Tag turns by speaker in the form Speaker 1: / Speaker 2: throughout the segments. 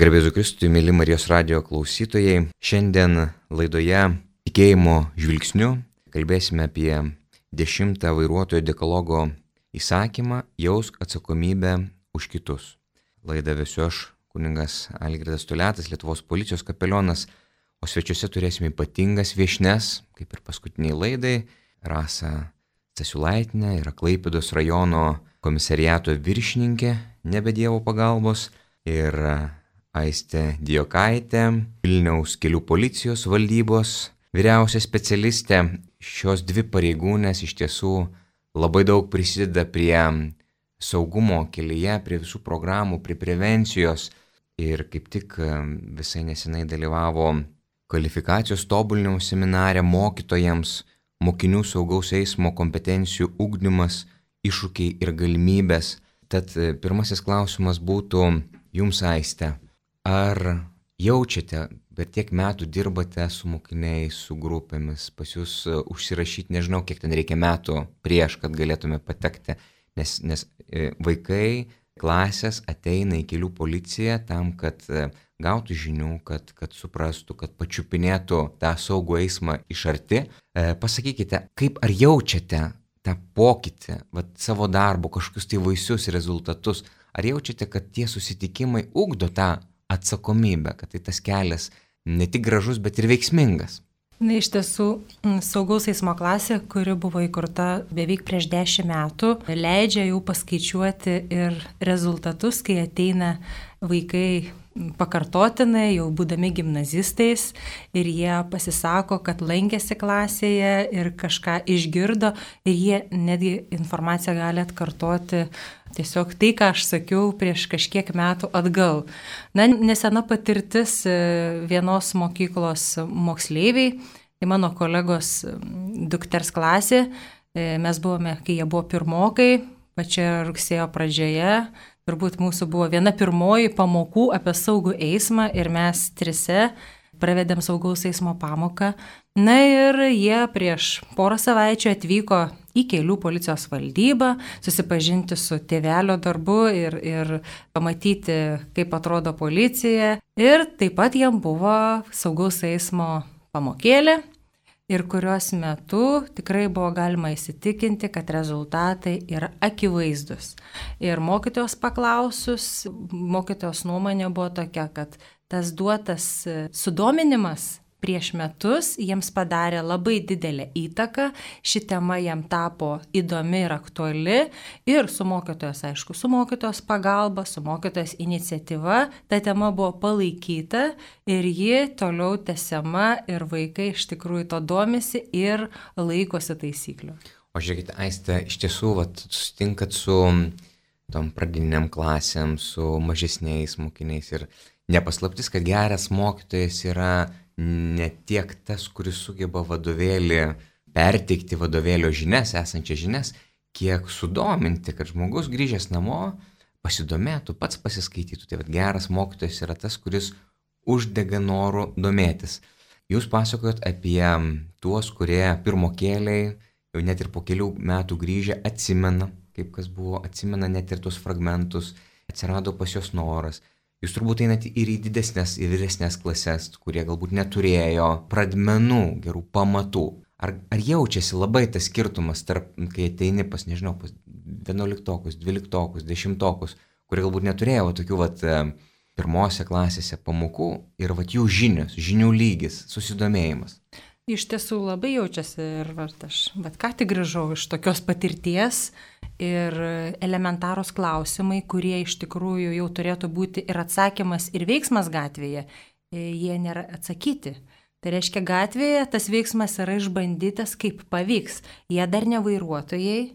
Speaker 1: Garbėzu Kristui, mėly Marijos radijo klausytojai, šiandien laidoje Tikėjimo žvilgsniu kalbėsime apie 10 vairuotojo dekalogo įsakymą jausk atsakomybę už kitus. Laidą vesiu aš, kunigas Algirdas Toliatas, Lietuvos policijos kapelionas, o svečiuose turėsime ypatingas viešnes, kaip ir paskutiniai laidai, Rasa Stasiulaitinė, yra Klaipėdos rajono komisariato viršininkė, nebe Dievo pagalbos, ir Aistė Dijokaitė, Vilniaus kelių policijos valdybos vyriausia specialistė. Šios dvi pareigūnės iš tiesų labai daug prisideda prie saugumo kelyje, prie visų programų, prie prevencijos ir kaip tik visai nesenai dalyvavo kvalifikacijos tobulinimo seminare mokytojams, mokinių saugaus eismo kompetencijų ugdymas, iššūkiai ir galimybės. Tad pirmasis klausimas būtų jums, Aiste. Ar jaučiate, per tiek metų dirbate su mokiniais, su grupėmis, pas jūs užsirašyti, nežinau, kiek ten reikia metų prieš, kad galėtume patekti, nes vaikai, klasės ateina į kelių policiją tam, kad gautų žinių, kad suprastų, kad pačiupinėtų tą saugų eismą iš arti. Pasakykite, kaip ar jaučiate tą pokytį, savo darbo, kažkokius tai vaisius rezultatus, ar jaučiate, kad tie susitikimai ugdo tą atsakomybę, kad tai tas kelias ne tik gražus, bet ir veiksmingas?
Speaker 2: Na, iš tiesų, saugaus eismo klasė, kuri buvo įkurta beveik prieš 10 metų, leidžia jau paskaičiuoti ir rezultatus, kai ateina vaikai pakartotinai, jau būdami gimnazistais, ir jie pasisako, kad lankėsi klasėje ir kažką išgirdo, ir jie netgi informaciją gali atkartoti tiesiog tai, ką aš sakiau prieš kažkiek metų atgal. Na, nesena patirtis vienos mokyklos moksleiviai, tai mano kolegos dukters klasė, mes buvome, kai jie buvo pirmokai, pačioje rugsėjo pradžioje, turbūt mūsų buvo viena pirmoji pamokų apie saugų eismą ir mes trise pravedėm saugaus eismo pamoką. Na ir jie prieš porą savaičių atvyko į kelių policijos valdybą, susipažinti su tėvelio darbu ir pamatyti, kaip atrodo policija. Ir taip pat jiem buvo saugaus eismo pamokėlė, ir kurios metu tikrai buvo galima įsitikinti, kad rezultatai yra akivaizdus. Ir mokytojos paklausus, mokytojos nuomonė buvo tokia, kad tas duotas sudominimas prieš metus jiems padarė labai didelę įtaką, ši tema jam tapo įdomi ir aktuali, ir su mokytojos, aišku, su mokytojos pagalba, su mokytojos iniciatyva, ta tema buvo palaikyta ir ji toliau tęsiama ir vaikai iš tikrųjų to domisi ir laikosi taisyklių.
Speaker 1: O žiūrėkite, Aiste, iš tiesų, susitinkat su tom pradinėm klasėm, su mažesniais mokiniais ir nepaslaptis, kad geras mokytojas yra ne tiek tas, kuris sugeba vadovėlį perteikti vadovėlio žinias, esančias žinias, kiek sudominti, kad žmogus grįžęs namo pasidomėtų, pats pasiskaitytų. Tai geras mokytojas yra tas, kuris uždega norų domėtis. Jūs pasakojot apie tuos, kurie pirmokėliai, jau net ir po kelių metų grįžę, atsimena, kaip kas buvo, atsimena net ir tuos fragmentus, atsirado pas jos noras. Jūs turbūt einate ir į didesnės, į vyresnės klases, kurie galbūt neturėjo pradmenų, gerų pamatų. Ar jaučiasi labai tas skirtumas tarp, kai ateini pas, nežinau, pas 11-okus, 12-okus, 10-okus, kurie galbūt neturėjo tokių pirmose klasėse pamokų ir jų žinios, žinių lygis, susidomėjimas?
Speaker 2: Iš tiesų labai jaučiasi ir aš ką tik grįžau iš tokios patirties ir elementarūs klausimai, kurie iš tikrųjų jau turėtų būti ir atsakymas, ir veiksmas gatvėje, jie nėra atsakyti. Tai reiškia, gatvėje tas veiksmas yra išbandytas, kaip pavyks. Jie dar ne vairuotojai,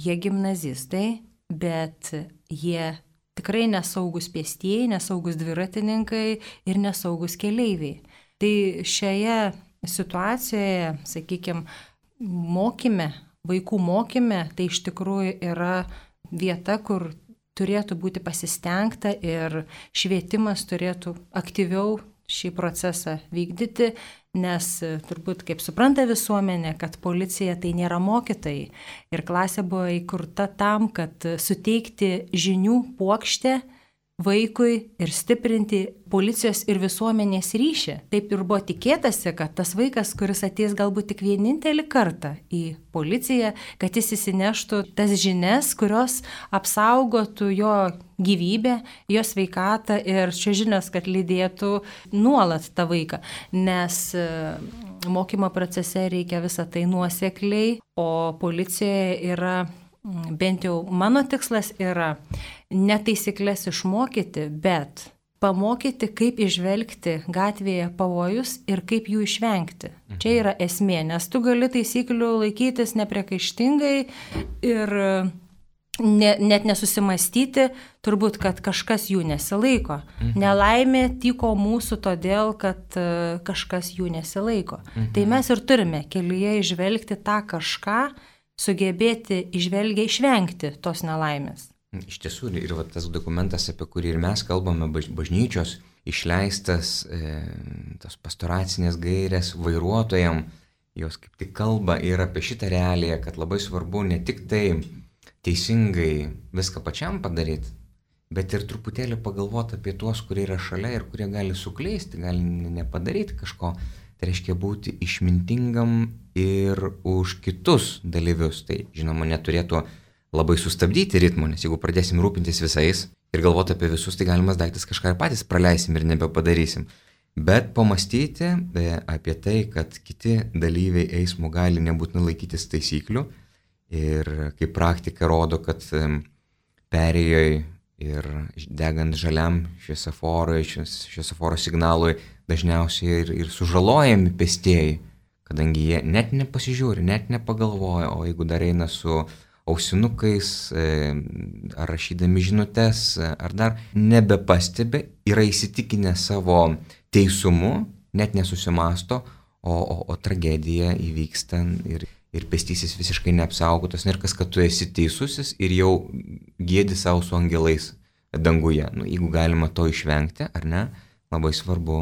Speaker 2: jie gimnazistai, bet jie tikrai nesaugus pėstieji, nesaugus dviratininkai ir nesaugus keleiviai. Tai šioje situacijoje, sakykime, vaikų mokyme, tai iš tikrųjų yra vieta, kur turėtų būti pasistengta ir švietimas turėtų aktyviau šį procesą vykdyti, nes turbūt, kaip supranta visuomenė, kad policija tai nėra mokytojai. Ir klasė buvo įkurta tam, kad suteikti žinių puokštę vaikui ir stiprinti policijos ir visuomenės ryšį. Taip ir buvo tikėtasi, kad tas vaikas, kuris ateis galbūt tik vienintelį kartą į policiją, kad jis įsineštų tas žinias, kurios apsaugotų jo gyvybę, jo sveikatą ir čia žinios, kad lydėtų nuolat tą vaiką. Nes mokymo procese reikia visą tai nuosekliai, o policijoje yra, bent jau mano tikslas yra ne taisyklės išmokyti, bet pamokyti, kaip išvelgti gatvėje pavojus ir kaip jų išvengti. Čia yra esmė, nes tu gali taisyklių laikytis nepriekaištingai ir net nesusimastyti, turbūt, kad kažkas jų nesilaiko. Nelaimė tyko mūsų todėl, kad kažkas jų nesilaiko. Tai mes ir turime kelyje išvelgti tą kažką, sugebėti išvelgiai išvengti tos nelaimės.
Speaker 1: Iš tiesų, ir tas dokumentas, apie kurį ir mes kalbame, bažnyčios išleistas, tos pastoracinės gairės vairuotojam, jos kaip tik kalba ir apie šitą realiją, kad labai svarbu ne tik tai teisingai viską pačiam padaryti, bet ir truputėlį pagalvoti apie tuos, kurie yra šalia ir kurie gali suklysti, gali nepadaryti kažko. Tai reiškia būti išmintingam ir už kitus dalyvius. Tai, žinoma, neturėtų labai sustabdyti ritmo, nes jeigu pradėsim rūpintis visais ir galvoti apie visus, tai galimas daiktas kažką ir patys praleisim ir nebepadarysim. Bet pamastyti apie tai, kad kiti dalyviai eismo gali nebūtinai laikytis taisyklių ir kaip praktika rodo, kad perėjoje ir degant žaliam šviesoforo signalui dažniausiai ir sužalojami pėstieji, kadangi jie net nepasižiūri, net nepagalvoja, o jeigu dar eina su ausinukais ar rašydami žinutes, ar dar nebepastebi, yra įsitikinę savo teisumu, net nesusimasto, o tragedija įvyksta ir pėstysis visiškai neapsaugotas, ir kas, kad tu esi teisusis ir jau gėdi savo su angelais danguje. Jeigu galima to išvengti, ar ne, labai svarbu.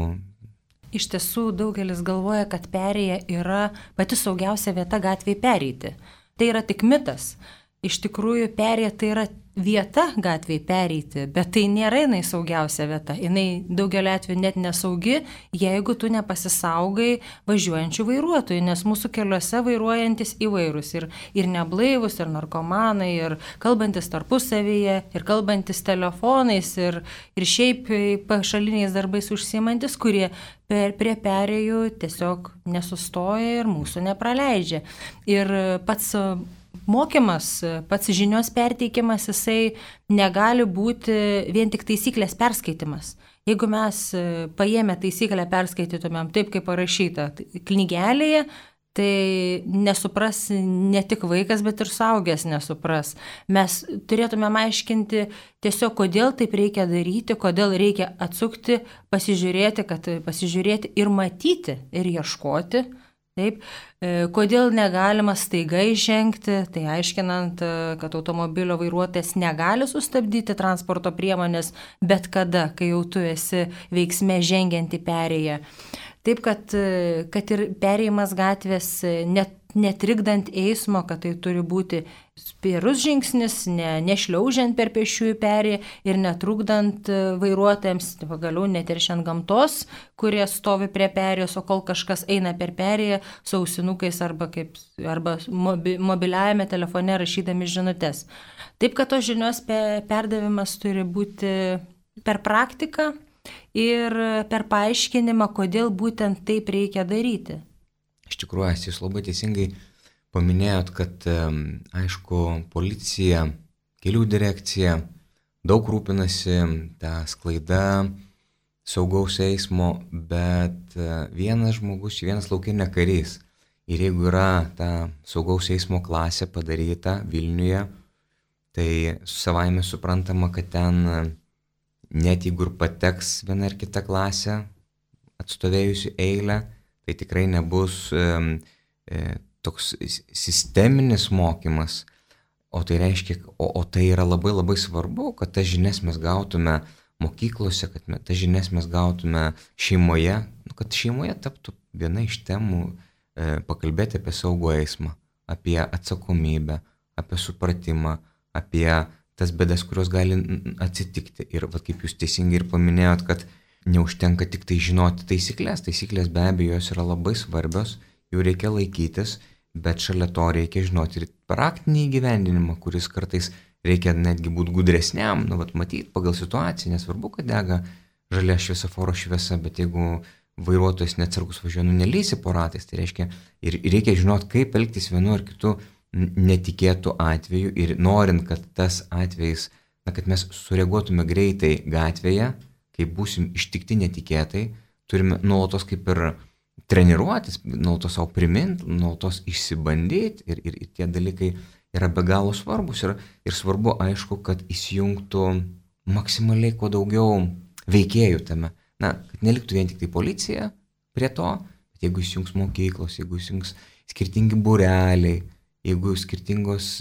Speaker 2: Iš tiesų, daugelis galvoja, kad perėja yra pati saugiausia vieta gatvėje pereiti. Tai yra tik mitas. Iš tikrųjų, perėja tai yra vieta gatvėje pereiti, bet tai nėra jinai saugiausia vieta. Jinai daugelio atveju net nesaugi, jeigu tu nepasisaugai važiuojančių vairuotojų, nes mūsų keliuose vairuojantis įvairūs ir neblaivus, ir narkomanai, ir kalbantis tarpusavyje, ir kalbantis telefonais, ir šiaip pašaliniais darbais užsiimantis, kurie prie perėjų tiesiog nesustoja ir mūsų nepraleidžia. Ir pats mokymas, pats žinios perteikimas, jisai negali būti vien tik taisyklės perskaitimas. Jeigu mes paėmę taisyklę perskaitytumėm taip, kaip parašyta knygelėje, tai nesupras ne tik vaikas, bet ir suaugęs nesupras. Mes turėtumėm aiškinti tiesiog, kodėl taip reikia daryti, kodėl reikia atsukti, pasižiūrėti ir matyti, ir ieškoti. Taip, kodėl negalima staiga įžengti, tai aiškinant, kad automobilio vairuotojas negali sustabdyti transporto priemonės bet kada, kai jau tu esi veiksme žengianti perėję. Taip, kad ir perėjimas gatvės netrikdant eismo, kad tai turi būti spėrus žingsnis, nešliaužiant per pėsčiųjų perėją ir netrukdant vairuotojams, pagaliau neteršiant gamtos, kurie stovi prie perėjos, o kol kažkas eina per perėją su ausinukais arba mobiliajame telefone rašydami žinutes. Taip, kad tos žinios perdavimas turi būti per praktiką ir per paaiškinimą, kodėl būtent taip reikia daryti.
Speaker 1: Iš tikrųjų, jūs labai teisingai paminėjot, kad, aišku, policija, kelių direkcija daug rūpinasi tą sklaidą saugaus eismo, bet vienas žmogus, vienas laukinė karys. Ir jeigu yra ta saugaus eismo klasė padaryta Vilniuje, tai savaime suprantama, kad ten net jeigu ir pateks viena ar kita klasė atstovėjusi eilę, tai tikrai nebus toks sisteminis mokymas, o tai reiškia, o tai yra labai labai svarbu, kad tas žinias mes gautume mokyklose, kad tas žinias mes gautume šeimoje, kad šeimoje taptų viena iš temų pakalbėti apie saugų eismą, apie atsakomybę, apie supratimą, apie tas bėdas, kurios gali atsitikti. Ir kaip jūs teisingai ir paminėjot, kad neužtenka tik tai žinoti taisyklės. Taisyklės be abejo jos yra labai svarbios, jų reikia laikytis, bet šalia to reikia žinoti ir praktinį įgyvendinimą, kuris kartais reikia netgi būti gudresniam, matyti pagal situaciją, nesvarbu, kad dega žalia šviesoforo šviesa, bet jeigu vairuotojas neatsargus važiuoja, nelysi po ratais, tai reiškia ir reikia žinoti, kaip elgtis vienu ar kitu netikėtų atveju ir norint, kad tas atvejis, kad mes sureaguotume greitai gatvėje, kai būsim ištikti netikėtai, turime nuolatos kaip ir treniruotis, nuolatos savo priminti, nuolatos išsibandyti ir tie dalykai yra be galo svarbus ir svarbu, aišku, kad įsijungtų maksimaliai kuo daugiau veikėjų tame. Kad neliktų vien tik tai policija prie to, bet jeigu įsijungs mokyklos, jeigu įsijungs skirtingi būreliai, jeigu skirtingos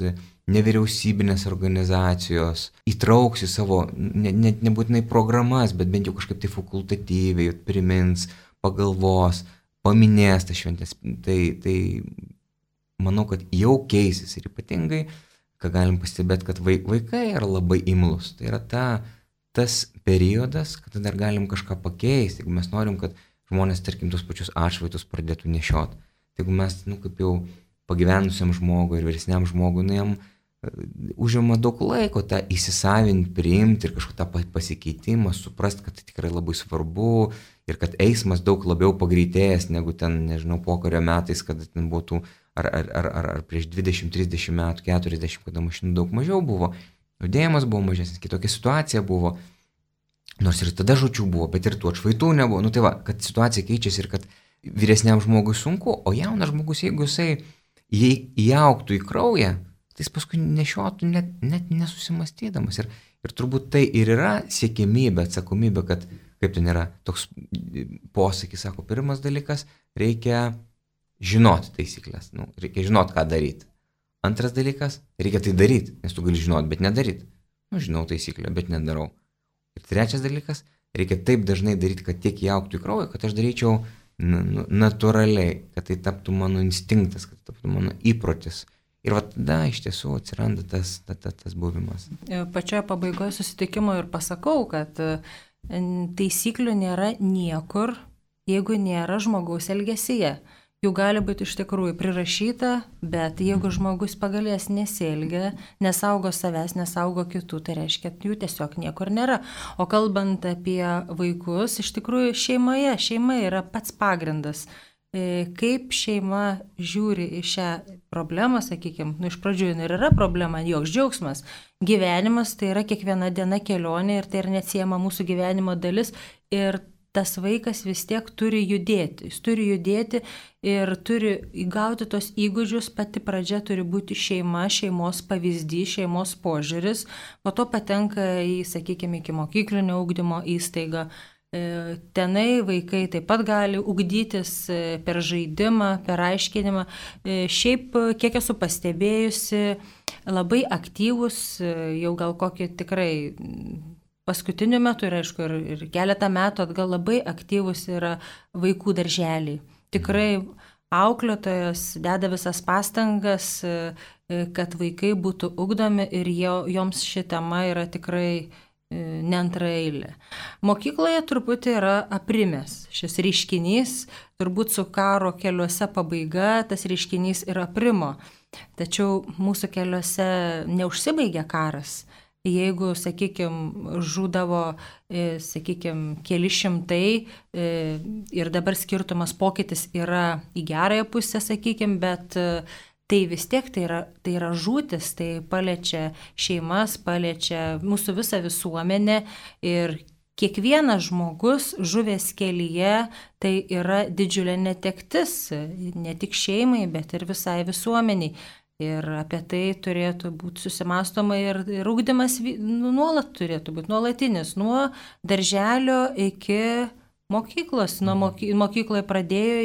Speaker 1: nevyriausybinės organizacijos įtrauks į savo, nebūtinai programas, bet bent jau kažkaip tai fakultatyviai primins, pagalvos, paminės tas šventės, tai manau, kad jau keisis ir ypatingai, ką galim pastebėti, kad vaikai yra labai imlus. Tai yra tas periodas, kada dar galim kažką pakeisti, jeigu mes norim, kad žmonės, tarkim, tos pačius atšvaitus pradėtų nešiot. Tai jeigu mes, kaip jau pagyvenusiam žmogui ir vyresniam žmogui, jam užima daug laiko tą įsisavinti, priimti ir kažkokį tą pasikeitimą, suprast, kad tai tikrai labai svarbu ir kad eismas daug labiau pagreitėjęs negu ten, nežinau, pokario metais, kada ten būtų ar prieš 20, 30 metų, 40, kada mašinų daug mažiau buvo. Judėjimas buvo mažesnis, kitokia situacija buvo, nors ir tada žūčių buvo, bet ir tų atšvaitų nebuvo. Tai kad situacija keičiasi ir kad vyresniam žmogui sunku, o jaunas žmogus, jeigu jisai įaugtų į kraują, tai jis paskui nešiotų net nesusimastydamas. Ir turbūt tai ir yra siekiamybė, atsakomybė, kad, kaip ten yra toks posakis, sako, pirmas dalykas, reikia žinoti taisyklės, reikia žinoti, ką daryti. Antras dalykas, reikia tai daryti, nes tu gali žinoti, bet nedaryti. Žinau taisyklę, bet nedarau. Ir trečias dalykas, reikia taip dažnai daryti, kad tiek įaugtų į kraują, kad aš daryčiau natūraliai, kad tai taptų mano instinktas, kad tai taptų mano įprotis. Ir tada iš tiesų atsiranda tas buvimas.
Speaker 2: Pačioje pabaigoje susitikimo ir pasakau, kad taisyklių nėra niekur, jeigu nėra žmogaus elgesyje. Jų gali būti iš tikrųjų prirašyta, bet jeigu žmogus pagalės nesielgia, nesaugo savęs, nesaugo kitų, tai reiškia, jų tiesiog niekur nėra. O kalbant apie vaikus, iš tikrųjų šeima yra pats pagrindas. Kaip šeima žiūri į šią problemą, sakykime, iš pradžių ir yra problema, joks džiaugsmas. Gyvenimas tai yra kiekviena diena kelionė ir tai yra neatsiejama mūsų gyvenimo dalis ir tas vaikas vis tiek turi judėti. Jis turi judėti ir turi įgauti tos įgūdžius, pati pradžia turi būti šeima, šeimos pavyzdys, šeimos požiūris, po to patenka į, sakykime, iki mokyklinio ugdymo įstaigą. Tenai vaikai taip pat gali ugdytis per žaidimą, per aiškinimą. Šiaip, kiek esu pastebėjusi, labai aktyvus, jau gal kokį tikrai paskutiniu metu ir, aišku, ir keletą metų atgal labai aktyvus yra vaikų darželiai. Tikrai auklėtojas deda visas pastangas, kad vaikai būtų ugdomi ir joms ši tema yra tikrai neantraeilė. Mokykloje truputį yra aprimęs šis reiškinys, turbūt su karo keliuose pabaiga tas reiškinys ir aprimo. Tačiau mūsų keliuose neužsibaigia karas. Jeigu, sakykime, žūdavo, sakykime, keli šimtai ir dabar skirtumas pokytis yra į gerąją pusę, sakykime, bet tai vis tiek tai yra žūtis, tai paliečia šeimas, paliečia mūsų visą visuomenę ir kiekvienas žmogus žuvęs kelyje tai yra didžiulė netektis, ne tik šeimai, bet ir visai visuomeniai. Ir apie tai turėtų būti susimąstoma ir ugdymas nuolat turėtų būti nuolatinis, nuo darželio iki mokyklos, nuo mokykloje pradėjo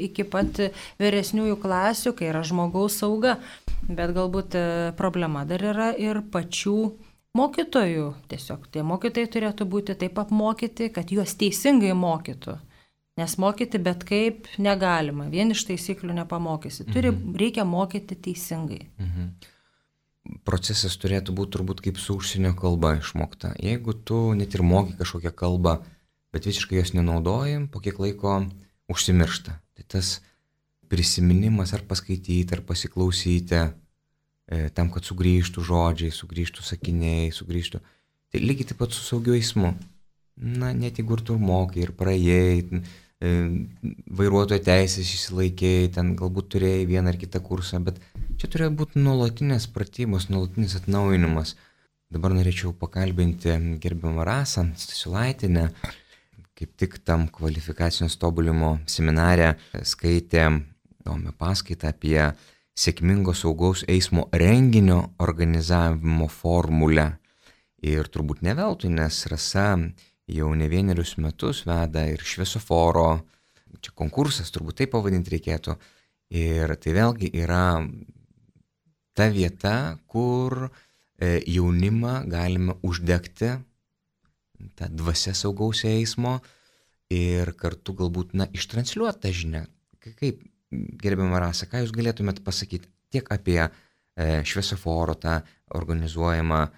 Speaker 2: iki pat vyresniųjų klasių, kai yra žmogaus sauga. Bet galbūt problema dar yra ir pačių mokytojų. Tiesiog tie mokytojai turėtų būti taip apmokyti, kad juos teisingai mokytų. Nes mokyti bet kaip negalima, vien iš taisyklių nepamokysi. Reikia mokyti teisingai.
Speaker 1: procesas turėtų būti turbūt kaip su užsienio kalba išmokta. Jeigu tu net ir moki kažkokią kalbą, bet visiškai jos nenaudoji, po kiek laiko užsimiršta. Tai tas prisiminimas ar paskaityti, ar pasiklausyti, tam, kad sugrįžtų žodžiai, sugrįžtų sakiniai, sugrįžtų. Tai lygiai taip pat su saugiu eismu. Na, net jeigu ir tu mokai, ir praėjai, vairuotojo teisės išsilaikėjai, ten galbūt turėjai vieną ar kitą kursą, bet čia turėjo būti nuolatinės pratybos, nuolatinis atnaujinimas. Dabar norėčiau pakalbinti gerbiamą Rasą Stasiulaitienę, kaip tik tam kvalifikacijos tobulimo seminare skaitė įdomią paskaitą apie sėkmingo saugaus eismo renginio organizavimo formulę. Ir turbūt ne veltui, nes Rasa jau ne vienerius metus veda ir šviesoforo, čia konkursas, turbūt taip pavadinti reikėtų. Ir tai vėlgi yra ta vieta, kur jaunimą galime uždegti tą dvasią saugaus eismo ir kartu galbūt ištransliuoti tą žinią. Kaip, gerbiama Rasa, ką jūs galėtumėt pasakyti tiek apie šviesoforo tą organizuojamą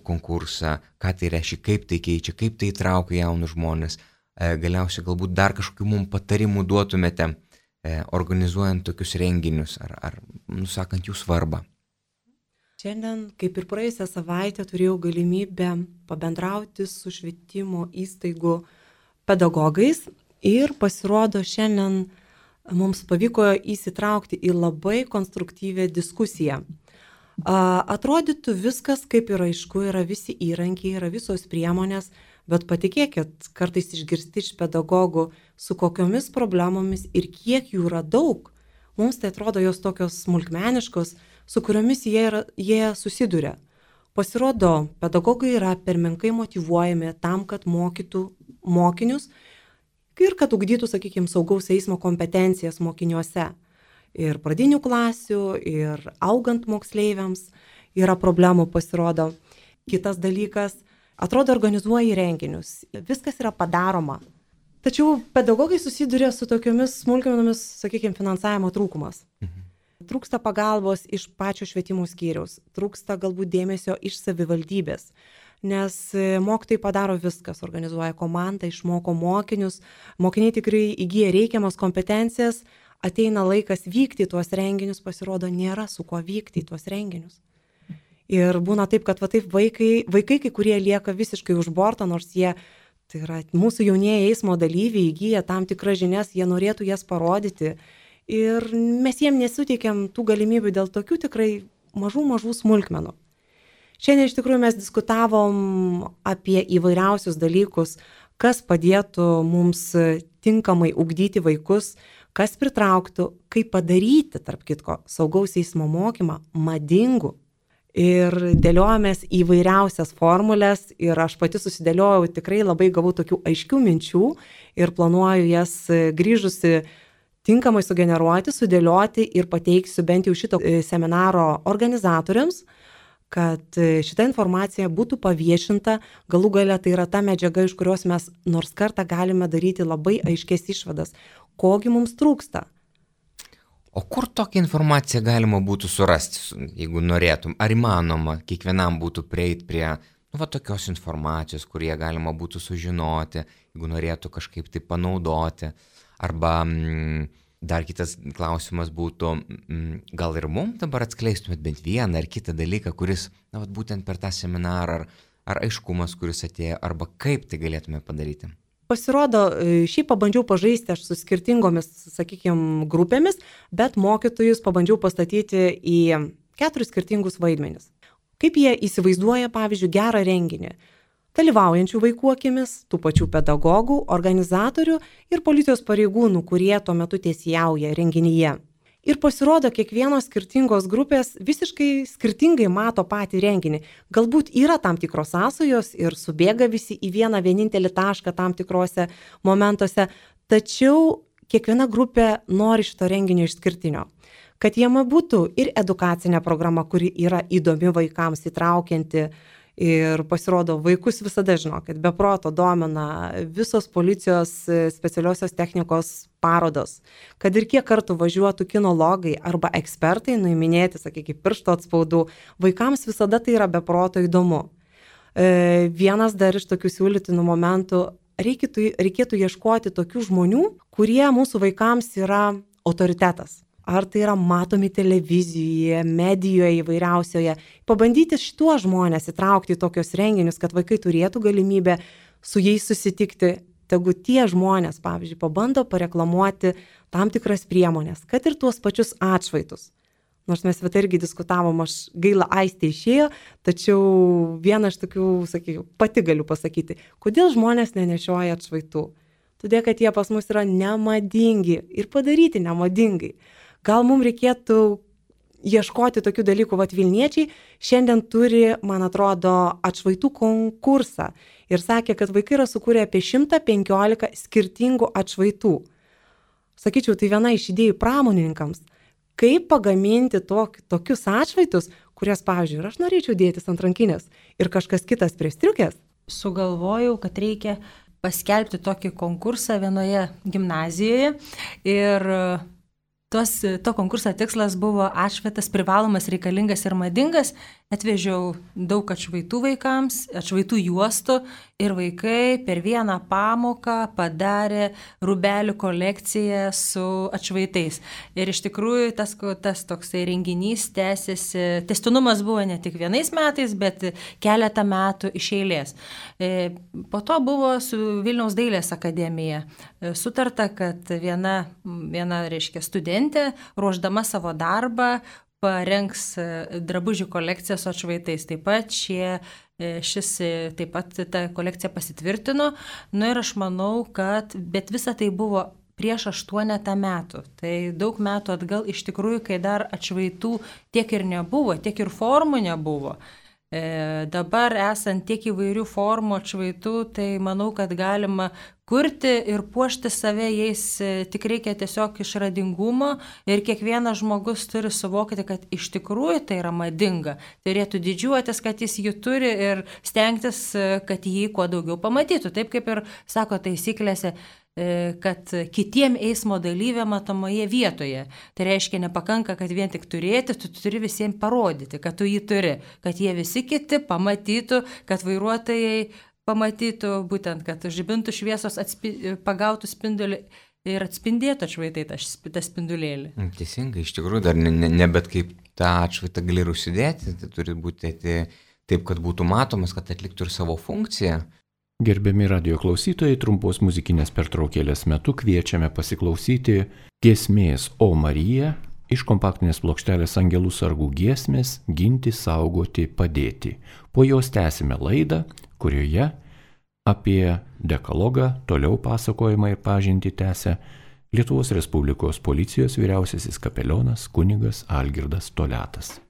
Speaker 1: konkursą, ką tai reiškia, kaip tai keičia, kaip tai įtraukia jaunus žmonės. Galiausiai galbūt dar kažkokių mums patarimų duotumėte, organizuojant tokius renginius ar nusakant jų svarbą.
Speaker 3: Šiandien, kaip ir praėjusią savaitę, turėjau galimybę pabendrauti su švietimo įstaigų pedagogais ir pasirodo šiandien mums pavyko įsitraukti į labai konstruktyvią diskusiją. Atrodytų viskas kaip ir aišku, yra visi įrankiai, yra visos priemonės, bet patikėkit, kartais išgirsti iš pedagogų, su kokiomis problemomis ir kiek jų yra daug. Mums tai atrodo jos tokios smulkmeniškos, su kuriomis jie susiduria. Pasirodo, pedagogai yra per menkai motyvuojami tam, kad mokytų mokinius ir kad ugdytų, sakykime, saugaus eismo kompetencijas mokiniuose. Ir pradinių klasių, ir augant moksleiviams yra problemų, pasirodo. Kitas dalykas, atrodo, organizuoji renginius, viskas yra padaroma. Tačiau pedagogai susiduria su tokiomis smulkmenomis, sakykime, finansavimo trūkumas. Trūksta pagalbos iš pačio švietimo skyriaus, trūksta galbūt dėmesio iš savivaldybės, nes mokytojai padaro viskas, organizuoja komandą, išmoko mokinius, mokiniai tikrai įgyja reikiamas kompetencijas, ateina laikas vykti į tuos renginius, pasirodo, nėra su kuo vykti į tuos renginius. Ir būna taip, kad taip vaikai kai kurie lieka visiškai už borto, nors jie, tai yra mūsų jaunieji eismo dalyviai, įgyja tam tikras žinias, jie norėtų jas parodyti. Ir mes jiem nesuteikiam tų galimybių dėl tokių tikrai mažų smulkmenų. Šiandien iš tikrųjų mes diskutavom apie įvairiausius dalykus, kas padėtų mums tinkamai ugdyti vaikus, kas pritrauktų, kaip padaryti, tarp kitko, saugaus eismo mokymą madingu. Ir dėliojomės įvairiausias formulės ir aš pati susidėliojau, tikrai labai gavau tokių aiškių minčių ir planuoju jas grįžusi tinkamai sugeneruoti, sudėlioti ir pateiksiu bent jau šito seminaro organizatoriams, kad šita informacija būtų paviešinta, galų gale tai yra ta medžiaga, iš kurios mes nors kartą galime daryti labai aiškės išvadas, kogi mums trūksta.
Speaker 1: O kur tokią informaciją galima būtų surasti, jeigu norėtum? Ar įmanoma kiekvienam būtų prieiti prie tokios informacijos, kurie galima būtų sužinoti, jeigu norėtų kažkaip tai panaudoti? Arba dar kitas klausimas būtų, gal ir mums dabar atskleistumėt bent vieną ar kitą dalyką, kuris būtent per tą seminarą, ar aiškumas, kuris atėjo, arba kaip tai galėtume padaryti?
Speaker 3: Pasirodo, šiaip pabandžiau pažaisti aš su skirtingomis, sakykime, grupėmis, bet mokytojus pabandžiau pastatyti į 4 skirtingus vaidmenis. Kaip jie įsivaizduoja, pavyzdžiui, gerą renginį? Dalyvaujančių vaikų akimis, tų pačių pedagogų, organizatorių ir policijos pareigūnų, kurie tuo metu teisėjauja renginyje. Ir pasirodo, kiekvienos skirtingos grupės visiškai skirtingai mato patį renginį. Galbūt yra tam tikros sąsajos ir subėga visi į vieną vienintelį tašką tam tikrose momentuose, tačiau kiekviena grupė nori šito renginio išskirtinio. Kad jame būtų ir edukacinė programa, kuri yra įdomi vaikams, įtraukianti, Ir pasirodo, vaikus visada žinokit, be proto domina visos policijos specialiosios technikos parodos. Kad ir kiek kartų važiuotų kinologai arba ekspertai nuiminėti, sakykime, piršto atspaudų, vaikams visada tai yra be proto įdomu. Vienas dar iš tokių siūlytinų momentų, reikėtų ieškoti tokių žmonių, kurie mūsų vaikams yra autoritetas. Ar tai yra matomi televizijoje, medijoje įvairiausioje. Pabandyti šituos žmonės įtraukti į tokius renginius, kad vaikai turėtų galimybę su jais susitikti. Tegu tie žmonės, pavyzdžiui, pabando pareklamuoti tam tikras priemonės, kad ir tuos pačius atšvaitus. Nors mes irgi diskutavom, aš gaila Aistė išėjo, tačiau vieną iš tokių, sakyčiau, pati galiu pasakyti, kodėl žmonės nenešioja atšvaitų. Todėl, kad jie pas mus yra nemadingi ir padaryti nemadingai. Gal mums reikėtų ieškoti tokių dalykų, Vilniečiai šiandien turi, man atrodo, atšvaitų konkursą ir sakė, kad vaikai yra sukūrę apie 115 skirtingų atšvaitų. Sakyčiau, tai viena iš idėjų pramonininkams, kaip pagaminti tokius atšvaitus, kurias, pavyzdžiui, ir aš norėčiau dėtis ant rankinės ir kažkas kitas prie striukės.
Speaker 2: Sugalvojau, kad reikia paskelbti tokį konkursą vienoje gimnazijoje ir to konkurso tikslas buvo atšvaitas privalomas, reikalingas ir madingas. Atvežiau daug atšvaitų vaikams, atšvaitų juostų ir vaikai per vieną pamoką padarė rūbelių kolekciją su atšvaitais. Ir iš tikrųjų tas toksai renginys tęsiasi, tęstinumas buvo ne tik vienais metais, bet keletą metų iš eilės. Po to buvo su Vilniaus dailės akademija sutarta, kad viena reiškia studentė, ruošdama savo darbą, parengs drabužių kolekciją su atšvaitais. Taip pat ta kolekcija pasitvirtino. Ir aš manau, kad bet visa tai buvo prieš 8 metų. Tai daug metų atgal iš tikrųjų, kai dar atšvaitų tiek ir nebuvo, tiek ir formų nebuvo. Dabar esant tiek įvairių formų atšvaitų, tai manau, kad galima kurti ir puošti save jais, tik reikia tiesiog išradingumo ir kiekvienas žmogus turi suvokti, kad iš tikrųjų tai yra madinga. Turėtų didžiuotis, kad jis jį turi ir stengtis, kad jį kuo daugiau pamatytų. Taip kaip ir sako taisyklėse, kad kitiem eismo dalyviam matomoje vietoje. Tai reiškia, nepakanka, kad vien tik turėti, tu turi visiems parodyti, kad tu jį turi, kad jie visi kiti pamatytų, kad vairuotojai pamatytų, būtent, kad žibintų šviesos pagautų spindulį ir atspindėtų atšvaitai tą spindulėlį.
Speaker 1: Teisingai, iš tikrųjų, dar ne bet kaip tą atšvaitą gali užsidėti, tai turi būti taip, kad būtų matomas, kad atliktų ir savo funkciją.
Speaker 4: Gerbiami radio klausytojai, trumpos muzikinės pertraukėlės metu kviečiame pasiklausyti giesmės O Marija iš kompaktinės plokštelės Angelų sargų giesmės Ginti, saugoti, padėti. Po jos tęsime laidą, kurioje apie dekalogą toliau pasakojimą ir pažintį tęsia Lietuvos Respublikos policijos vyriausiasis kapelionas kunigas Algirdas Toliatas.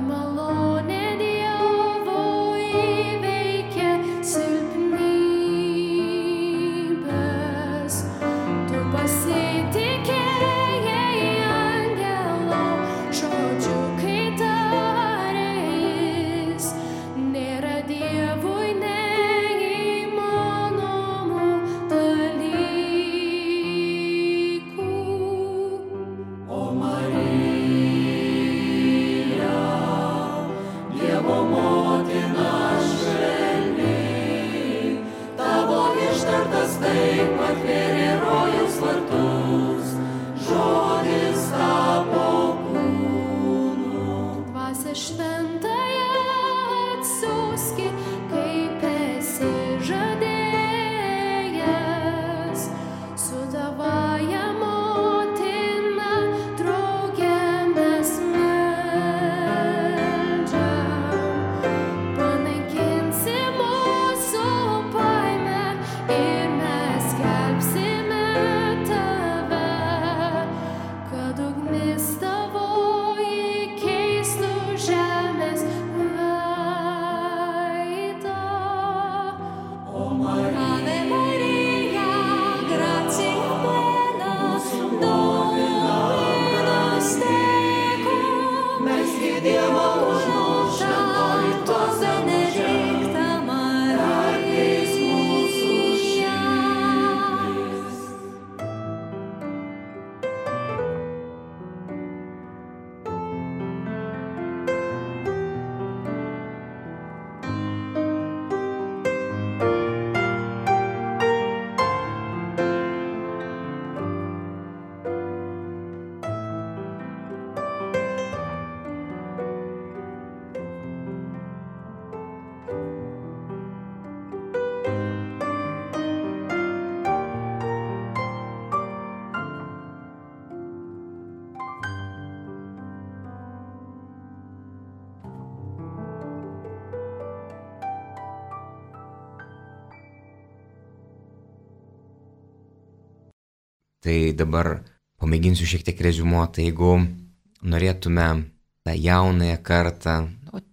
Speaker 5: Malonė Dievo įveikia silpnybę. atvėrė rojaus vartus, žodis tapo kūnu. Dvasia šventąją atsiųski, kaip esi žadėjęs, su tavąja motina drauge mes meldžiam. Panaikinsi mūsų baimę ir mes skelbsime tave, kad ugnis tavoji keistų žemės veidą. Ave Maria, gratia plena, Dominus tecum, mes Dievo šventoji tos benedicta Marija.
Speaker 1: Tai dabar pamėginsiu šiek tiek reziumuoti, jeigu norėtume tą jaunąją kartą,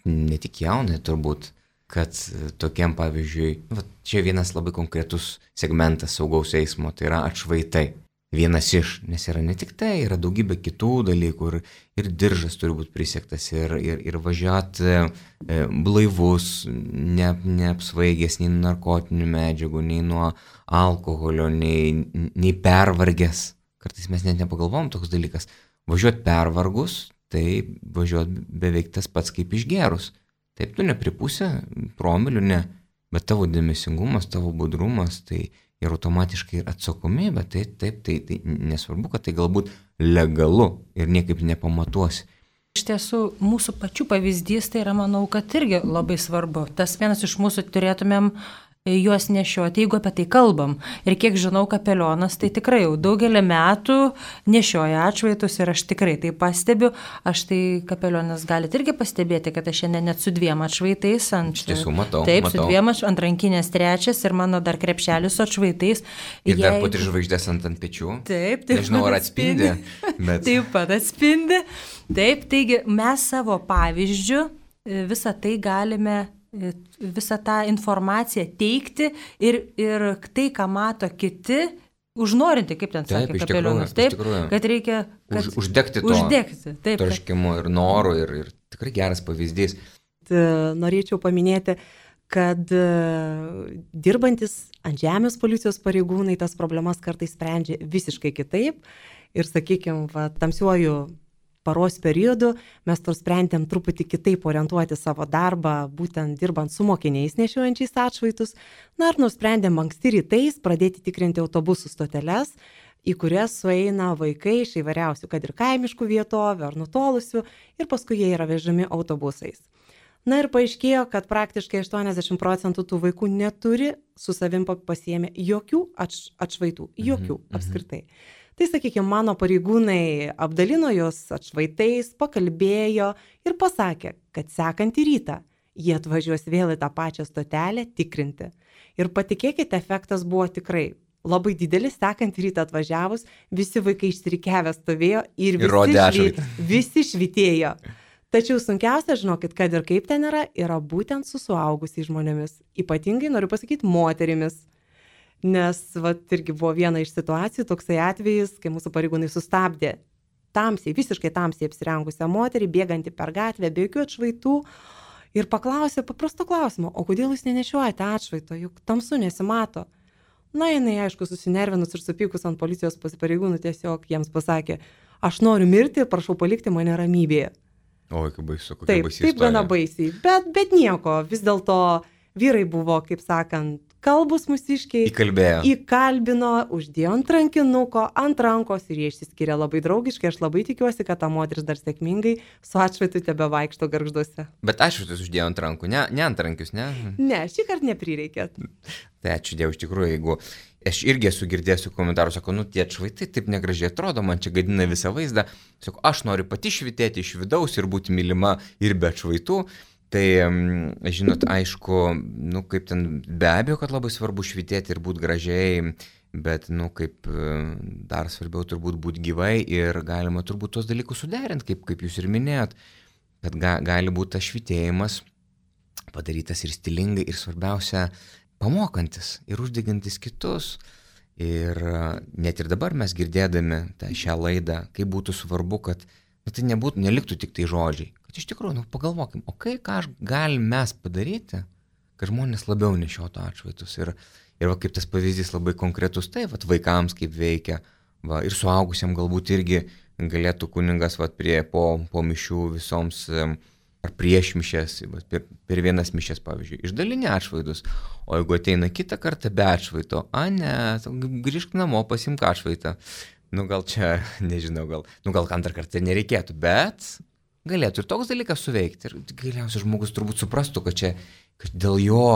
Speaker 1: ne tik jaunąją turbūt, kad tokiam pavyzdžiui, čia vienas labai konkretus segmentas saugaus eismo, tai yra atšvaitai. Vienas iš, nes yra ne tik tai, yra daugybė kitų dalykų ir diržas turi būti prisiektas ir važiuoti blaivus, neapsvaigęs nei nuo narkotinių medžiagų, nei nuo alkoholio, nei pervargęs. Kartais mes net nepagalvom toks dalykas. Važiuoti pervargus, tai važiuoti beveik tas pats kaip išgerus. Taip, tu nepripusė promilių, ne, bet tavo dėmesingumas, tavo budrumas, tai ir automatiškai ir atsakomybė, tai nesvarbu, kad tai galbūt legalu ir niekaip nepamatuosi.
Speaker 2: Iš tiesų, mūsų pačių pavyzdys tai yra, manau, kad irgi labai svarbu. Tas vienas iš mūsų turėtumėm juos nešioti, jeigu apie tai kalbam. Ir kiek žinau, kapelionas tai tikrai jau daugelį metų nešioja atšvaitus ir aš tikrai tai pastebiu. Aš tai kapelionas galite irgi pastebėti, kad aš šiandien net su 2 atšvaitais.
Speaker 1: Iš tiesų, matau.
Speaker 2: Taip, su 2 ant rankinės 3 ir mano dar krepšelis su atšvaitais.
Speaker 1: Ir dar po 3 žvaigždės ant pečių.
Speaker 2: Taip.
Speaker 1: Nežinau, ar atspindi. Bet...
Speaker 2: Taip pat atspindi. Taip, taigi mes savo pavyzdžiu visą tai galime, visą tą informaciją teikti ir tai, ką mato kiti, užnorinti, kaip ten sakė kapelionas. Taip, kad reikia
Speaker 1: uždegti troškimu ir noru ir tikrai geras pavyzdys.
Speaker 3: Norėčiau paminėti, kad dirbantis ant žemės policijos pareigūnai tas problemas kartais sprendžia visiškai kitaip ir, sakykime, tamsiuoju paros periodu mes to sprendėm truputį kitaip orientuoti savo darbą, būtent dirbant su mokiniais nešiojančiais atšvaitus. Na ir nusprendėm anksti rytais pradėti tikrinti autobusų stoteles, į kurias sueina vaikai iš įvairiausių, kad ir kaimiškų vietovių ar nutolusių, ir paskui jie yra vežami autobusais. Na ir paaiškėjo, kad praktiškai 80% tų vaikų neturi su savim pasiėmę jokių atšvaitų, jokių apskritai. Tai, sakykime, mano pareigūnai apdalino juos atšvaitais, pakalbėjo ir pasakė, kad sekantį rytą jie atvažiuos vėl į tą pačią stotelę tikrinti. Ir patikėkite, efektas buvo tikrai labai didelis, sekantį rytą atvažiavus, visi vaikai išsirikiavę stovėjo ir visi švytėjo. Tačiau sunkiausia, žinokit, kad ir kaip ten yra būtent su suaugusiais žmonėmis, ypatingai noriu pasakyti moterimis. Nes irgi buvo viena iš situacijų, toksai atvejis, kai mūsų pareigūnai sustabdė visiškai tamsiai apsirengusią moterį, bėgantį per gatvę, be jokių atšvaitų ir paklausė paprasto klausimo, o kodėl jūs nenešiojate atšvaito, juk tamsu nesimato. Na, jinai, aišku, susinervinus ir supykus ant policijos pareigūnų tiesiog jiems pasakė, aš noriu mirti, prašau palikti mane ramybėje.
Speaker 1: Oi, kaip baisu, kokia baisi istorija.
Speaker 3: Taip, gana baisiai, bet nieko, vis dėlto vyrai buvo, kaip sakant, kalbus mūsiškiai.
Speaker 1: Įkalbėjo.
Speaker 3: Įkalbino, uždėjo ant rankinuko, ant rankos ir jie išsiskiria labai draugiškai. Aš labai tikiuosi, kad ta moteris dar sėkmingai su atšvaitu tebe vaikšto Gargžduose.
Speaker 1: Bet atšvaitus uždėjo ant rankų, ne ant rankius, ne?
Speaker 3: Ne, šį kartą neprireikė.
Speaker 1: Tai ačiū Dievui, iš tikrųjų, jeigu aš irgi esu girdėjęs komentarų, sako, nu tie atšvaitai taip negražiai atrodo, man čia gadina visą vaizdą. Sako, aš noriu pati švitėti iš vidaus ir būti mylima ir be atšvaitų. Tai, žinot, aišku, nu kaip ten, be abejo, kad labai svarbu švitėti ir būti gražiai, bet, nu kaip dar svarbiau turbūt būti gyvai ir galima turbūt tos dalykus suderinti, kaip jūs ir minėjot, kad gali būti tas švitėjimas padarytas ir stilingai ir svarbiausia pamokantis ir uždegantis kitus. Ir net ir dabar mes girdėdami šią laidą, kaip būtų svarbu, kad tai neliktų tik tai žodžiai. Kad iš tikrųjų, pagalvokim, o ką galim mes padaryti, kad žmonės labiau nešiotų atšvaitus. Ir va, kaip tas pavyzdys labai konkretus, tai va, vaikams kaip veikia, va, ir suaugusiam galbūt irgi galėtų kuningas va, po mišių visoms ar prieš mišes, per vienas mišes, pavyzdžiui, išdalinė atšvaitus, o jeigu ateina kitą kartą be atšvaito, grįžk namo, pasimk atšvaitą. Gal čia, nežinau, gal antrą kartą nereikėtų, bet galėtų ir toks dalykas suveikti. Ir galiausiai žmogus turbūt suprastų, kad dėl jo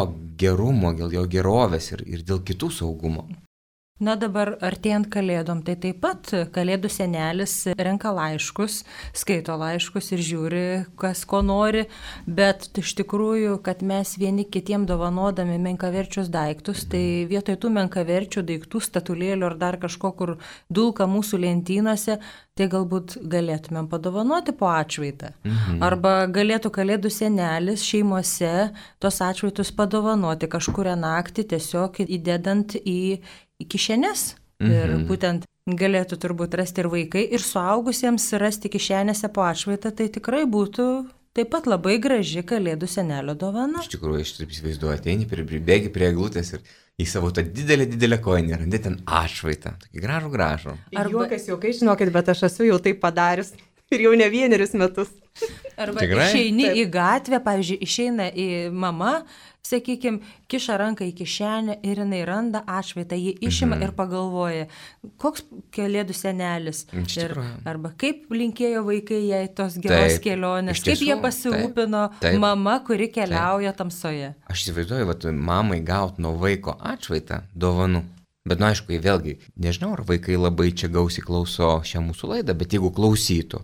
Speaker 1: gerumo, dėl jo gerovės ir dėl kitų saugumo.
Speaker 2: Na dabar artėjant kalėdom, tai taip pat kalėdų senelis renka laiškus, skaito laiškus ir žiūri, kas ko nori, bet iš tikrųjų, kad mes vieni kitiem dovanodami menkaverčius daiktus, tai vietoj tų menkaverčių daiktų, statulėlių ar dar kažko, kur dulka mūsų lentynose, tai galbūt galėtumėm padovanoti po atšvaitą. Arba galėtų kalėdų senelis šeimose tos atšvaitus padovanoti kažkurią naktį, tiesiog įdedant į kišenes. Ir būtent galėtų turbūt rasti ir vaikai, ir suaugusiems rasti kišenėse po atšvaitą, tai tikrai būtų taip pat labai graži kalėdų senelio dovana.
Speaker 1: Iš tikrųjų, aš taip įsivaizduoju, ateini, pribėgi prie eglutės ir į savo tą didelę koinę randi ten atšvaitą. Tokį gražų.
Speaker 3: Juokas, žinokit, bet aš esu jau taip padarius ir jau ne vienerius metus.
Speaker 2: Arba išeini į gatvę, pavyzdžiui, išeina į mama, sakykime, kiša ranką į kišenę ir jinai randa atšvaitą, jį išima ir pagalvoja, koks kalėdų senelis. Arba kaip linkėjo vaikai jai tos geros kelionės, kaip jie pasirūpino mama, kuri keliauja tamsoje.
Speaker 1: Aš įsivaizduoju, mamai gauti nuo vaiko atšvaitą dovanų. Bet, aišku, vėlgi, nežinau, ar vaikai labai čia gausiai klauso šią mūsų laidą, bet jeigu klausytų,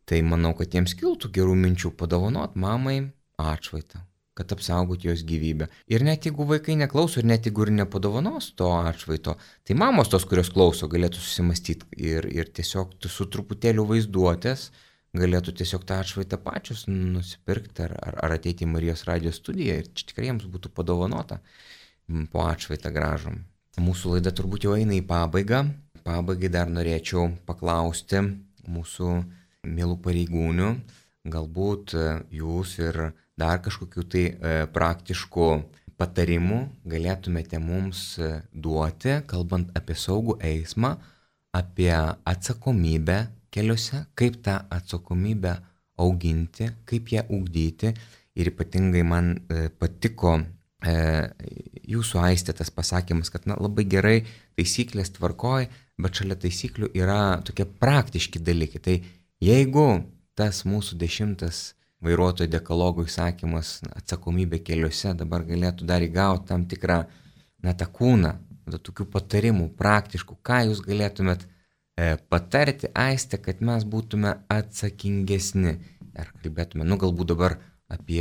Speaker 1: tai manau, kad jiems kiltų gerų minčių padovanot mamai atšvaitą, kad apsaugoti jos gyvybę. Ir net jeigu vaikai neklauso ir net jeigu ir nepadovanos to atšvaito, tai mamos tos, kurios klauso, galėtų susimastyti ir tiesiog su truputėliu vaizduotės galėtų tiesiog tą atšvaitą pačius nusipirkti ar ateiti į Marijos radijo studiją ir čia tikrai jiems būtų padovanota po atšvaitą gražum. Mūsų laida turbūt jau eina į pabaigą. Pabaigai dar norėčiau paklausti mūsų mielų pareigūnių, galbūt jūs ir dar kažkokių tai praktiškų patarimų galėtumėte mums duoti, kalbant apie saugų eismą, apie atsakomybę keliuose, kaip tą atsakomybę auginti, kaip ją ugdyti. Ir ypatingai man patiko jūsų Aistė tas pasakymas, kad labai gerai taisyklės tvarkoj, bet šalia taisyklių yra tokie praktiški dalykai. Tai jeigu tas mūsų 10 vairuotojo dekalogo įsakymas atsakomybė keliuose dabar galėtų dar įgauti tam tikrą tą kūną, tokių patarimų praktiškų, ką jūs galėtumėt patarti, Aistė, kad mes būtume atsakingesni. Ar kalbėtume, galbūt dabar apie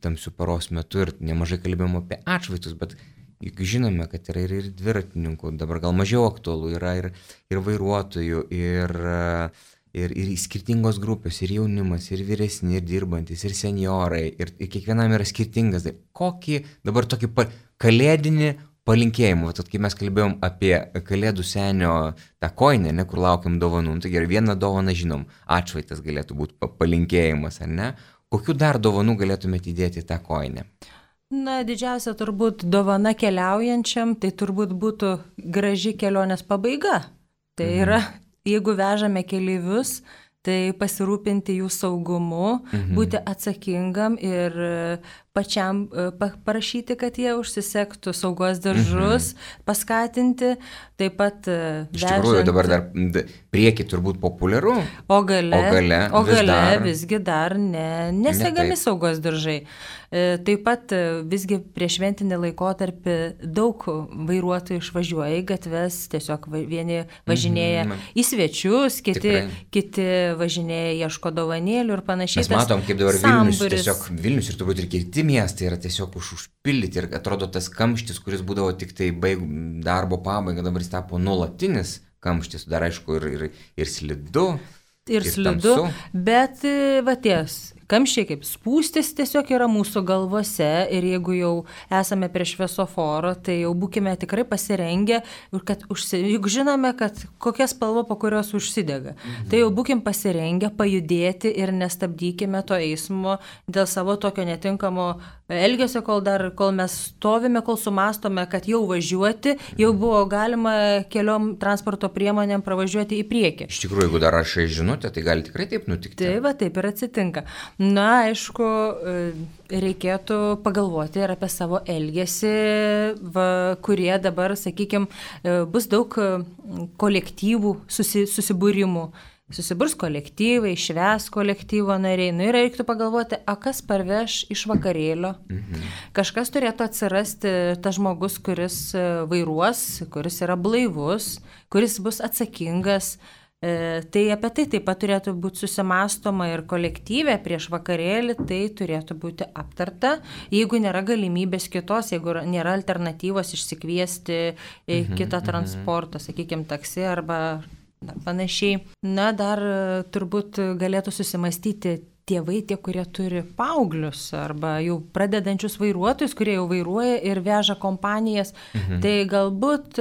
Speaker 1: tamsių paros metu ir nemažai kalbėjom apie atšvaitus, bet juk žinome, kad yra ir dviratininkų, dabar gal mažiau aktualu, yra ir vairuotojų, ir skirtingos grupės, ir jaunimas, ir vyresni, ir dirbantis, ir senjorai, ir kiekvienam yra skirtingas. Kokį dabar tokį kalėdinį palinkėjimą, tad kai mes kalbėjom apie kalėdų senio tą koinę, kur laukiam dovanų, tai gerai, vieną dovaną žinom, atšvaitas galėtų būti palinkėjimas, ar ne? Kokių dar dovanų galėtumėte įdėti į tą koinę?
Speaker 2: Didžiausia turbūt dovana keliaujančiam, tai turbūt būtų graži kelionės pabaiga. Tai yra, jeigu vežame keleivius, tai pasirūpinti jų saugumu, būti atsakingam ir pačiam parašyti, kad jie užsisektų saugos diržus, paskatinti, taip pat
Speaker 1: Iš tikrųjų, dabar dar prieki turbūt populiaru,
Speaker 2: o gale visgi dar nesegami
Speaker 1: taip.
Speaker 2: saugos diržai. Taip pat visgi prieš šventinį laikotarpį daug vairuotojų išvažiuoja į gatves, tiesiog vieni važinėja į svečius, kiti važinėja, ieško dovanėlių ir panašiai.
Speaker 1: Mes matom, kaip dabar Vilnius ir turbūt ir kiti miestai yra tiesiog užpildyti ir atrodo tas kamštis, kuris būdavo tik tai darbo pabaiga, dabar jis tapo nuolatinis kamštis, dar aišku ir slidu.
Speaker 2: Ir slidu, bet ties kamščiai kaip spūstis tiesiog yra mūsų galvose ir jeigu jau esame prie šviesoforą, tai jau būkime tikrai pasirengę, juk žinome, kad kokia spalva po kurios užsidega. Tai jau būkim pasirengę pajudėti ir nestabdykime to eismo dėl savo tokio netinkamo elgesio, kol mes stovime, kol sumastome, kad jau važiuoti, jau buvo galima keliom transporto priemonėm pravažiuoti į priekį.
Speaker 1: Iš tikrųjų, jeigu dar rašai žinutę, tai gali tikrai taip nutikti.
Speaker 2: Taip ir atsitinka. Na, aišku, reikėtų pagalvoti ir apie savo elgesį, kurie dabar, sakykime, bus daug kolektyvų susibūrimų. Susiburs kolektyvai, švęs kolektyvo nariai. Ir reiktų pagalvoti, kas parveš iš vakarėlio. Kažkas turėtų atsirasti tas žmogus, kuris vairuos, kuris yra blaivus, kuris bus atsakingas. Tai apie tai taip pat turėtų būti susimastoma ir kolektyvė prieš vakarėlį, tai turėtų būti aptarta. Jeigu nėra galimybės kitos, jeigu nėra alternatyvos išsikviesti kitą transportą, sakykime, taksi arba panašiai. Na, dar turbūt galėtų susimastyti tėvai, tie, kurie turi paauglius arba jau pradedančius vairuotojus, kurie jau vairuoja ir veža kompanijas, tai galbūt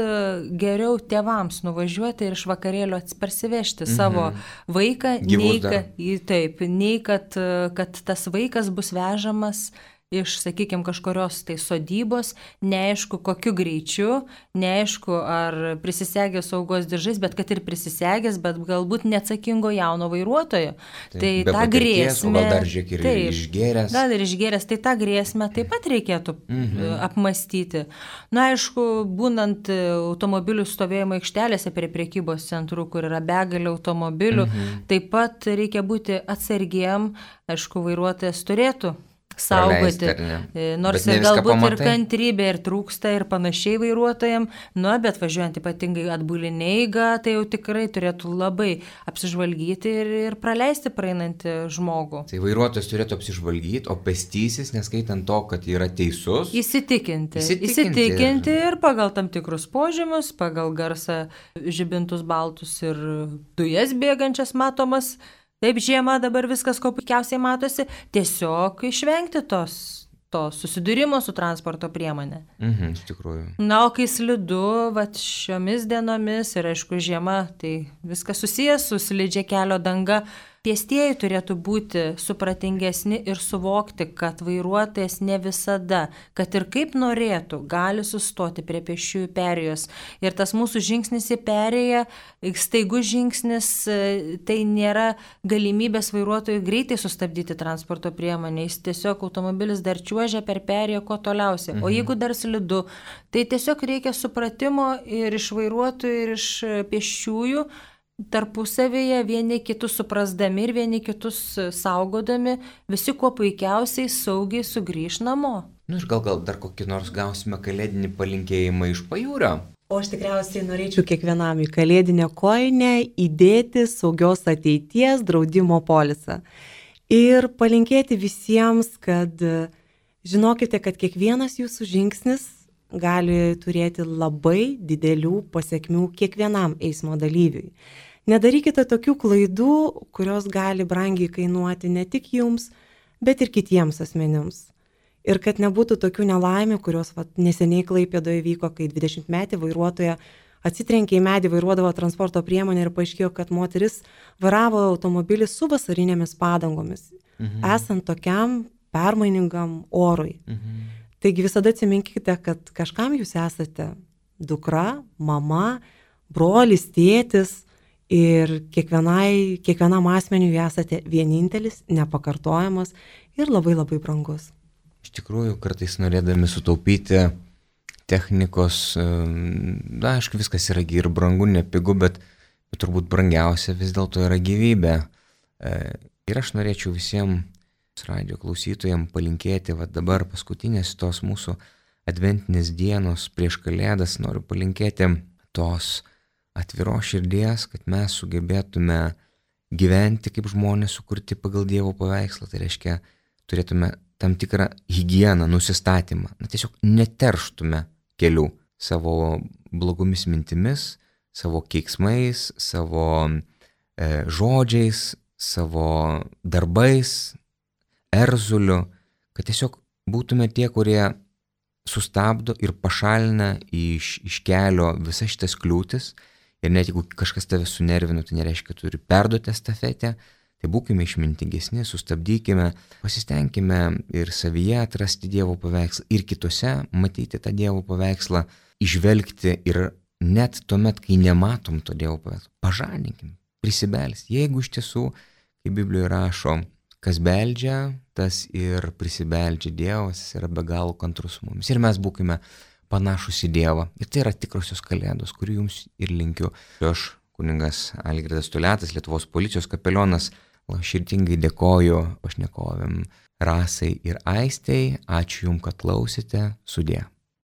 Speaker 2: geriau tėvams nuvažiuoti ir iš vakarėlio parsivežti savo vaiką, nei kad tas vaikas bus vežamas iš, sakykime, kažkurios tai sodybos, neaišku kokiu greičiu, neaišku ar prisisegęs saugos diržais, bet kad ir prisisegęs, bet galbūt neatsakingo jauno vairuotojo. Tai tą grėsmę...
Speaker 1: Gal dar žiūrėk ir išgėręs.
Speaker 2: Gal ir išgėręs, tai tą grėsmę taip pat reikėtų apmastyti. Na, aišku, būnant automobilių stovėjimo aikštelėse prie prekybos centrų, kur yra begalė automobilių, taip pat reikia būti atsargiem, aišku, vairuotojas turėtų saugoti, nors ir galbūt ir kantrybė ir trūksta ir panašiai vairuotojam, bet važiuojant ypatingai atbulinę eigą, tai jau tikrai turėtų labai apsižvalgyti ir praleisti praeinantį žmogų.
Speaker 1: Tai vairuotojas turėtų apsižvalgyti, o pėstysis, neskaitant to, kad yra teisus,
Speaker 2: įsitikinti ir pagal tam tikrus požymius, pagal garsą žibintus baltus ir dujas bėgančias matomas. Taip, žiemą dabar viskas ko puikiausiai matosi, tiesiog išvengti to susidūrimo su transporto priemonė.
Speaker 1: Iš tikrųjų.
Speaker 2: Na, o kai slidu, šiomis dienomis ir aišku žiema, tai viskas susijęs su slidžia kelio danga. Pėstieji turėtų būti supratingesni ir suvokti, kad vairuotojas ne visada, kad ir kaip norėtų, gali sustoti prie pėsčiųjų perėjos. Ir tas mūsų žingsnis į perėją, staigus žingsnis, tai nėra galimybės vairuotojui greitai sustabdyti transporto priemonę. Jis tiesiog automobilis dar čiuožia per perėją kuo toliausiai. O jeigu dar slidu, tai tiesiog reikia supratimo ir iš vairuotojų, ir iš pėsčiųjų, tarpusavėje vieni kitus suprasdami ir vieni kitus saugodami, visi kuo puikiausiai saugiai sugrįš namo.
Speaker 1: Ir gal dar kokį nors gausime kalėdinį palinkėjimą iš pajūrio.
Speaker 3: O aš tikriausiai norėčiau kiekvienam į kalėdinę kojinę įdėti saugios ateities draudimo polisą. Ir palinkėti visiems, kad žinokite, kad kiekvienas jūsų žingsnis gali turėti labai didelių pasiekmių kiekvienam eismo dalyviui. Nedarykite tokių klaidų, kurios gali brangiai kainuoti ne tik jums, bet ir kitiems asmenims. Ir kad nebūtų tokių nelaimių, kurios neseniai Klaipėdoje vyko, kai 20-metė vairuotoja atsitrenkė į medį, vairuodavo transporto priemonę ir paaiškėjo, kad moteris vairavo automobilį su vasarinėmis padangomis, esant tokiam permainingam orui. Taigi visada atsiminkite, kad kažkam jūs esate dukra, mama, brolis, tėtis ir kiekvienam asmeniui esate vienintelis, nepakartojamas ir labai labai brangus.
Speaker 1: Iš tikrųjų, kartais norėdami sutaupyti technikos, aišku, viskas yra ir brangu, nepigu, bet turbūt brangiausia vis dėlto yra gyvybė. Ir aš norėčiau visiems radio klausytojams palinkėti, va dabar paskutinės tos mūsų adventinės dienos prieš Kalėdas, noriu palinkėti tos atviros širdies, kad mes sugebėtume gyventi kaip žmonės sukurti pagal Dievo paveikslą. Tai reiškia, turėtume tam tikrą higieną, nusistatymą. Tiesiog neterštume kelių savo blogomis mintimis, savo keiksmais, savo žodžiais, savo darbais, erzuliu, kad tiesiog būtume tie, kurie sustabdo ir pašalina iš kelio visas šitas kliūtis. Ir net jeigu kažkas tave sunervino, tai nereiškia, kad turi perduoti estafetę. Tai būkime išmintingesni, sustabdykime, pasistengime ir savyje atrasti Dievo paveikslą ir kitose matyti tą Dievo paveikslą, išvelgti ir net tuomet, kai nematom to Dievo paveikslą, pažadinkim, prisibelsti. Jeigu iš tiesų, kaip Biblijoje rašo, kas beldžia, tas ir prisibeldžia. Dievas yra be galo kantrus su mumis. Ir mes būkime panašus į Dievą. Ir tai yra tikrosios Kalėdos, kurių jums ir linkiu. Aš, kunigas Algirdas Toliatas, Lietuvos policijos kapelionas, širdingai dėkoju pašnekovėm Rasai ir Aistei. Ačiū jums, kad klausėte. Sudie.